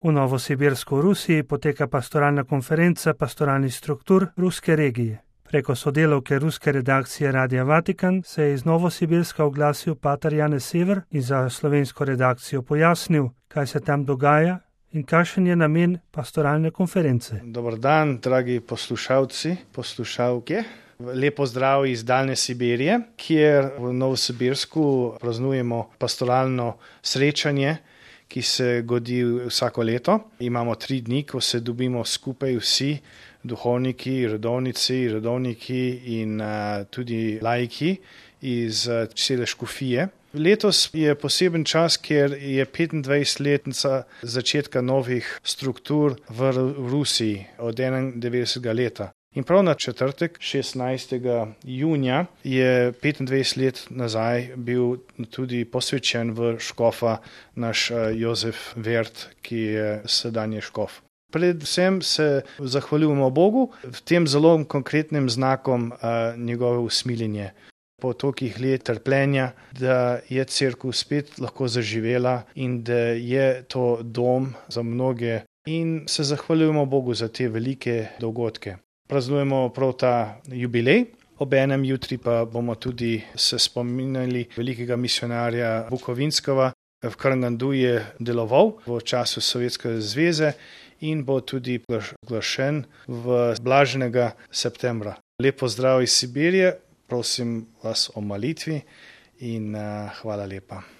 V Novosibirsku v Rusiji poteka pastoralna konferenca pastoralnih struktur ruske regije. Preko sodelavke ruske redakcije Radia Vatikan se je iz Novosibirska oglasil pater Janez Sever in za slovensko redakcijo pojasnil, kaj se tam dogaja in kakšen je namen pastoralne konference. Dober dan, dragi poslušalci, poslušalke. Lepo zdrav iz daljne Sibirije, kjer v Novosibirsku praznujemo pastoralno srečanje, ki se godi vsako leto. Imamo 3 dni, ko se dobimo skupaj vsi duhovniki, redovniki in tudi laiki iz cele škofije. Letos je poseben čas, ker je 25-letnica začetka novih struktur v Rusiji od 91. leta. In prav na četrtek, 16. junija, je 25 let nazaj bil tudi posvečen v škofa naš Jozef Vert, ki je sedanji škof. Predvsem se zahvaljujemo Bogu v tem zelo konkretnim znakom njegove usmiljenje. Po tolikih let trpljenja, da je cerkev spet lahko zaživela in da je to dom za mnoge. In se zahvaljujemo Bogu za te velike dogodke. Praznujemo prav ta jubilej, obenem jutri pa bomo tudi se spominjali velikega misionarja Bukovinskega. V Karangandu je deloval v času Sovjetske zveze in bo tudi oglašen v blaženega septembra. Lepo zdrav iz Sibirije, prosim vas o molitvi in hvala lepa.